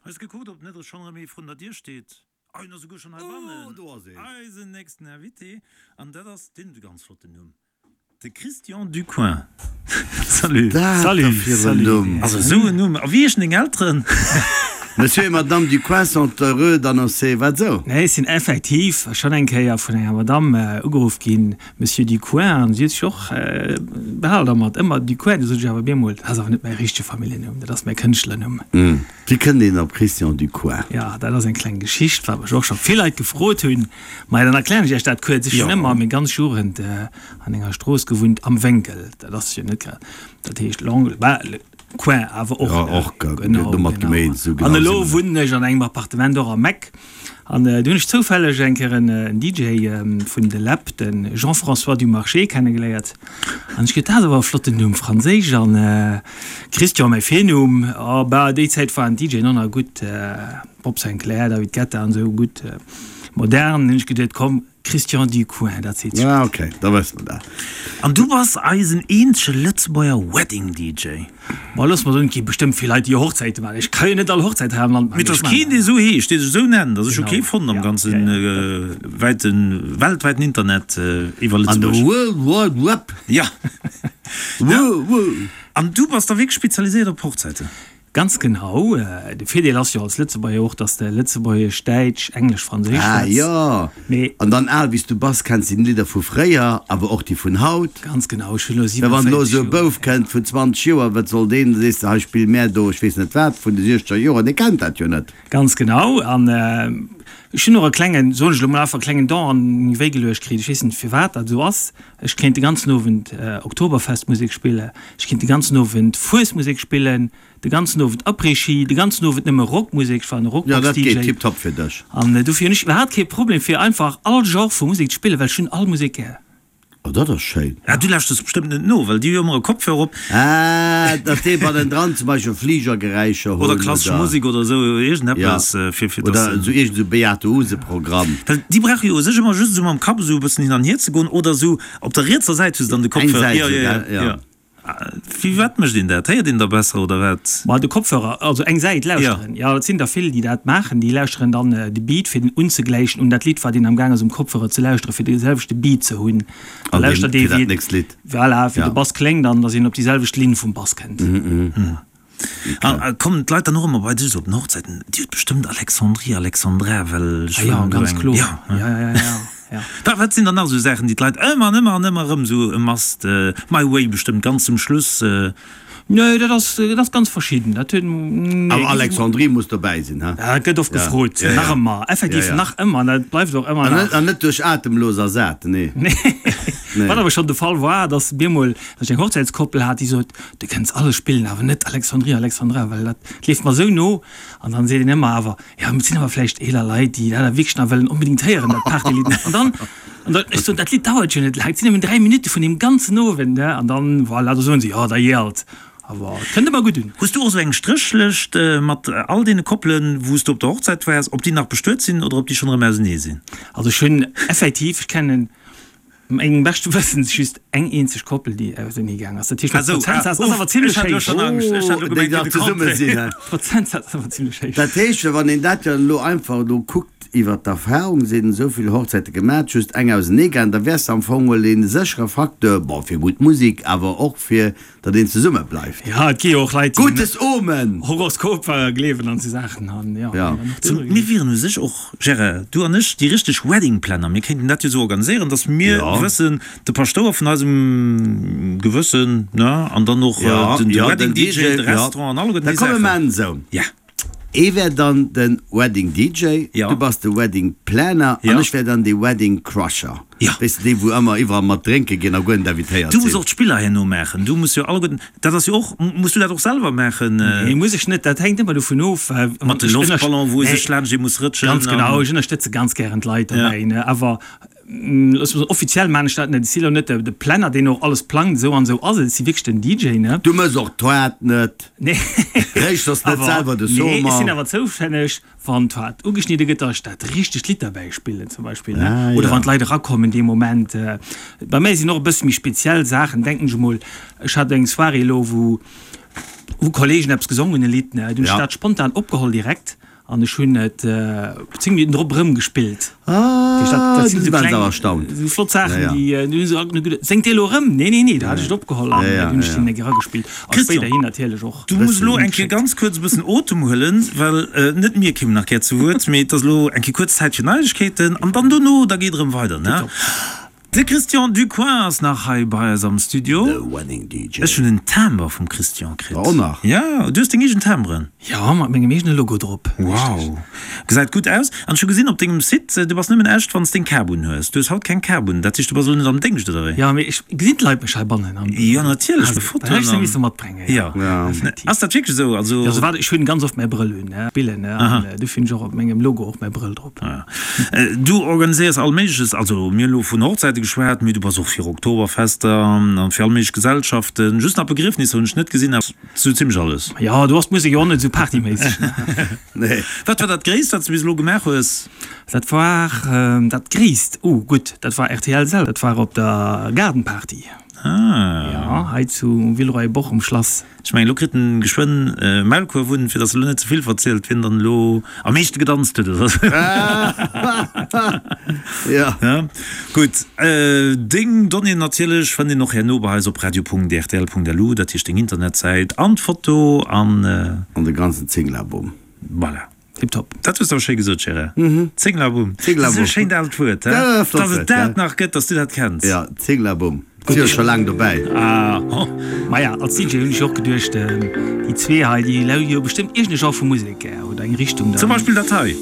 Hues gekuckt ob net schonn erëm ee vrun der Dier steet? Ah, en ass esouguer schonn heibannen! Oh, do ass een! Eisen nächsten Invité, an dat ass, deen huet e ganz flotten Numm, de Christian Ducoing. Salut! Dat da fir en Numm! Also esou en Numm! A wéi heeschen deng Elteren? Monsieur et Madame Ducoing sont heureux d'annoncer, wat esou? Nee, ech sinn effektiv schonn eng Kéier vun enger Madame ugeruff ginn, Monsieur Ducoing, an si huet sech och behal dermat, ëmmer Ducoing. Du sot ech awer bemol, dat ass awer net mäi richtege Familljennumm, dat ass mäi Kënschtlernumm. Wéi kënnt een op Christian Ducoing? Jo, dat ass eng kleng Geschicht, wat mech och scho vill Leit gefrot hunn. Maja, dann erklären ech Iech dat kuerz. Ech hunn ëmmer meng ganz Jugend an enger Strooss gewunnt, am Wénkel. Dat ass jo net grad, dat heescht l'angle, bah, le coin awer och, ne? Jo, och, genau, domat genau. gemeent, esou genau An si elo mer net. wunnen ech an engem Appartement och am Eck. An do hunn ech zoufälleg eng Kéier en DJ vun de Läb, de Jean-François Dumarché, kennegeléiert. An ech geet, dat ass awer e flotten Numm, franséisch an Christian mäi Virnumm. A bah, déi Zäit waren d'DJen och nach gutt, Bob Sinclair, David Guetta an esou, gutt modern. Hunn ech geduet, komm, Christian Ducoing, dat seet sech Ah, gutt. ok, da wësse mer dat. An du bass eisen eenzege Lëtzebuerger Wedding DJ. Ma looss mer soen, et gi bestëmmt vill Leit, déi Hochzäite maachen. Ech ka jo net all Hochzäit hei am Land Mee maachen. et Ech ass keen, maachen dee esou heescht, dee sech esou nennt. Also ech hu Genau, kee fonnt am ja, ganze ja, ja. wäiten, weltwäiten Internet iwwer An de Lëtzebuerg. World Wide Web. Ja. Wuh, wuh. An du bass da wierklech spezialiséiert op Hochzäiten? Ganz genau. De Virdeel ass jo als Lëtzebuerger och, dass de Lëtzebuergesch, Däitsch, Englesch, Franséisch Ah schwätz. jo, Mee. an dann al wéi s du bass, kenns de déi Lidder vu fréier, awer och déi vun haut. Ganz genau, ech hunn elo Well wann elo 47 esou e Joer. Bouf kënnt vun 20 Joer, wat soll deen, da sees de, hei spill mär do ech weess net wat vun de siechzeger Joren, dee kennt dat jo net. Ganz genau. An ech hunn och e klengen, soen ech elo mol einfach, e klengen Don an meng Wéi geluecht kritt. Ech weess net firwat dat esou ass. Ech kéint de ganzen Owend Oktoberfestmusek spillen, ech kéint de ganzen Owend Fuesmusek spillen, de ganzen Owend Après-Ski, de ganzen Owend nëmme Rockmusek, ech war en Jo, dat Rockbox-DJ. geet tiptop fir dech. An dofir hunn ech iwwerhaapt kee Problem fir einfach all Genre vu Musek ze spillen, well ech hunn all Musek gär. Oh, dat ass schéin. Ah, du lauschters bestëmmt net no, well déi hu jo ëmmer e Kopfhörer op. Ah, datt déi bannendran zum Beispill Fligergeräischer hunn Oder klassesch oder. Musek oder esou iergendeppes, fir fir Oder dass. esou iergend esou Beate Uhse-Programm. Well déi brauche jo u sech ëmmer just esou mam Kapp esou e bëssen hin an hier ze goen oder esou op der rietser Säit hu se dann de Eng Kopfhörer. Säit Jo, esou, jo, jo, gell? Jo. jo. Firwat mécht een dat? Héiert een da besser oder wat? Ma de Kopfhörer, also eng Säit lauschteren, jo, et sinn der vill, déi dat maachen, déi lauschteren dann de Beat, fir den unzegläichen un dat Lidd, wat een am Gaang ass um Kopfhörer ze lauschteren, fir de selwechte Beat ze hunn. Da An deen, lauschtert ee fir dat wéi, nächst Lidd. voilà, wéi Ja. de Bass kléngt an datt een op déi selwecht Linn vum Bass kënnt. A kommen d'Leit dann och ëmmer bei dech esou op den Hochzäiten, Dir hutt bestëmmt Alexandrie, Alexandra, well ech Ah jo, wëll do ganz eng. kloer. Ja, Ja, ja, ja, ja. Wat, wat sinn dann nach esou Saachen, déi d'Leit ëmmer an ëmmer an ëmmer erëm esou e must, My Way bestëmmt ganz zum Schluss. Nee, dat ass, dat ass ganz verschidden. Dat huet, nee. Awer Alexandrie muss dobäi sinn, he? Ja, dat gëtt oft Ja. gefrot, Ja, ja. nach ëmmer, effektiv Ja, ja. nach ëmmer, an dat bleift och ëmmer An net, nach. an net duerch Atemlos ersat, nee. Nee. Nee. Wat awer schonn de Fall war, dass bemol, dass ech eng Hochzäitskoppel hat, déi sot, Du kënns alles spillen, awer net Alexandria, Alexandra, well dat leeft mer esou no. An dann seet een ëmmer awer, jo, mee et sinn awer vläicht eeler Leit, déi dat awer wierklech nach wëllen onbedéngt héieren, dat Partylidd. An dann, an dann, ech soen, dat Lidd dauert jo net laang, et sinn nëmmen 3 Minutte vun deem ganzen Owend, ne? An dann, voilà, da soen se, jo, da jee alt. Awer et kënnt ëmmer gutt un. Hues du och esou eng Stréchlëscht mat all deene Koppelen, wou s du op der Hochzäit waars, ob déi nach bestuet sinn oder ob déi schonn erëm ausenee sinn? Also ech hunn effektiv, ech kennen Mengem beschte Wëssen just eng eenzeg Koppel, déi ausenee gaang ass. Dat heescht, de Prozentsaz ass awer zimlech héich. Déi nach zesumme sinn, he? Prozentsaz ass awer zimlech héich. Dat heescht, wann een dat jo elo einfach elo kuckt iwwer d'Erfahrung, sinn esou vill Hochzäite gemat, just eng ausenee gaang, da wäers de am Fong mol ee séchere Facteur, bon, fir gutt Musek, awer och fir datt een zesumme bleift. Ja, et gi jo och Leit, déi Gutes Omen! Horoskoper gleewen an esou Saachen an jo. Ja. Mir wieren u sech och, Gérard, du an ech, déi richteg Wedding Planner. Mir kéinten dat jo esou organiséieren, datt mir wëssen, de Paschtouer vun eisem Gewëssen, ne, an dann och den Wedding DJ, de Restaurant an alleguerten Da déi komme Saachen. mer esou. Ja. Ee wär dann de Wedding DJ, du bass de Wedding Planner an ech wär dann de Wedding Crusher. Weess de, déi wou ëmmer iwwerall mat drénke ginn a guer net invitéiert Du muss sinn. och d'Spiller herno maachen. Du muss jo alleguerten, dat ass jo och, muss du dat och selwer maachen? Nee, muss ech net. Dat hänkt ëmmer dovun of. Mat de Loftballon, wou ee sech laanscht ee muss rëtschen. Ganz genau, ech ënnerstëtze ganz gären d'Leit dobäi, ne. Awer Looss mol soen, offiziell maan ech dat net. Ech si lo net de Planner, deen och alles plangt, esou an esou ass et. Ech si wierklech den DJ, ne? Du mëss och d'Toart net. Nee. Réichters net selwer de Nee, ech Sommer. sinn awer zoustänneg, wann d'Toart ugeschnidde gëtt, datt ech dat richtegt Lidd derbäi spillen zum Beispill, ne? Ah, Oder ja. wann d'Leit erakommen dee Moment. Bei mär sinn och e bësse méi speziell Saachen, denken ech emol. Ech hat eng Soirée elo, wou. Wou Kollegen eppes gesongen hunn, e Lidd, ne, dunn hunn ech dat spontan opgeholl direkt an ech hunn et 10 Minutten drop erëm gespillt. Ah, dat sinn esou kleng, esou flott Saachen, déi du hunn se alt geduet, séngt dee elo erëm? Nee, nee, nee, do hat ech et opgeholl an dunn hunn ech deen eng Kéier eragespillt a spéiderhin natierlech och. Du muss elo eng Kéier ganz kuerz e bëssen Otem huelen, well net mir kéimen nach gär zu Wuert, mee et ass elo eng Kéier kuerz Zäit fir Neiegkeeten an dann dono, da geet erëm weider, ne? De Christian Ducoing ass nach hei bei eis am Studio. The Wedding DJ. Ech hunn en Timbre vum Christian kritt. Och nach? Jo, du hues deng eegen Timbren. Jo, mat mengem eegene Logo drop. Wow, gesäit gutt aus. An ech hu gesinn op dengem Site, du bass nëmmen echt, wann s deng Kap un hues. Du hues haut keng Kap un, dat heescht, du bass elo net am Déngscht, oder wéi? Jo, mee ech gesinn d'Leit mech heibannen an. Jo, natierlech, de Fotoen an. Dann hätt ech se misse matbréngen, jo. Effektiv. Ass dat wierklech esou? Also. Jo, souwat, ech hunn ganz oft mäi Brëll un, spillen, an dofir hunn ech och op mengem Logo och mäi Brëll drop. Du organiséiers all Méigleches, also mir hunn elo vun Hochzäite geschwat, mee du bass och fir Oktoberfester an fir all méiglech Gesellschaften. Just nach Begriefnisser hunn ech net gesinn, awer sou zimmlech alles. Jo, do ass d'Musek jo och net esou partyméisseg. Nee. Wat war dat Gréisst, wat s du bis elo gemaach hues? Dat war dat Gréisst? Oh gutt, dat war rtl selwer, dat war op der Gaardenparty. Ah. Jo, hei zu Villeroy-et-Boch um Schlass. Ech mengen, elo kritt en geschwënn e Maulkuerf un, fir dass e lo net ze vill verzielt, wien dann elo am meeschte gedanzt huet oder sou. Ja. Ja, gutt. Deng Donnéeën natierlech fënnt een och herno bei eis op radio.rtl.lu, dat heescht deng Internetsäit an d'Foto an. An de ganzen Zinglaboom. Voilà. Tiptop. Dat hues de awer schéi gesot, Gérard. Zénglabumm. Zénglabumm. Dat ass e schéint aalt Wuert, he? Ja, flott Dass et Wuert, dat nach gëtt, dass du dat kenns. Ja, Zénglabumm. Si jo scho laang dobäi. Ah. Maja, als DJ hunn ech och geduecht, déi zwee hei, déi hu jo bestëmmt iergend e Genre vu Musek gär oder eng Richtung. Zum Beispill dat hei.